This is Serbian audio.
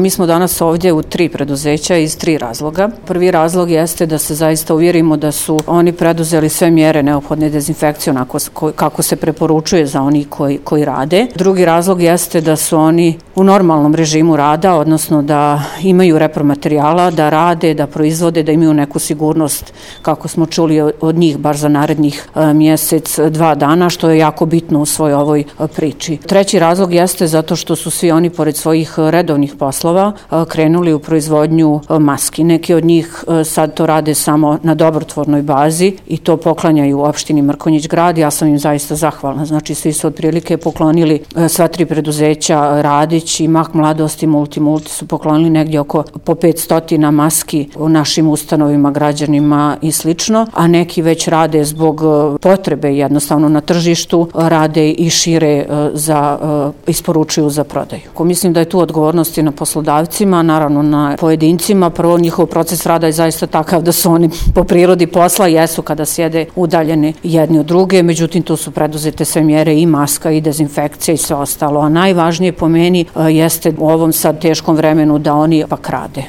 Mi smo danas ovdje u 3 preduzeća iz 3 razloga. Prvi razlog jeste da se zaista uvjerimo da su oni preduzeli sve mjere neophodne dezinfekcije kako se preporučuje za oni koji rade. Drugi razlog jeste da su oni u normalnom režimu rada, odnosno da imaju repromaterijala, da rade, da proizvode, da imaju neku sigurnost, kako smo čuli od njih, baš za narednih mjesec, 2 dana, što je jako bitno u svoj ovoj priči. Treći razlog jeste zato što su svi oni, pored svojih redovnih poslova, krenuli u proizvodnju maski. Neki od njih sad to rade samo na dobrotvornoj bazi i to poklanjaju opštini Mrkonjić Grad. Ja sam im zaista zahvalna. Znači, svi su otprilike poklonili, sva 3 preduzeća, Radić i Mah Mladost i Multi su poklonili negdje oko po 500 maski u našim ustanovima, građanima i slično, a neki već rade zbog potrebe jednostavno na tržištu, rade i šire isporučuju za prodaju. Mislim da je tu odgovornost i na poslodavcima, naravno na pojedincima. Prvo, njihov proces rada je zaista takav da su oni po prirodi posla jesu kada sjede udaljeni jedni od druge, međutim tu su preduzete sve mjere i maska i dezinfekcija i sve ostalo, a najvažnije po meni jeste u ovom sad teškom vremenu da oni ipak rade.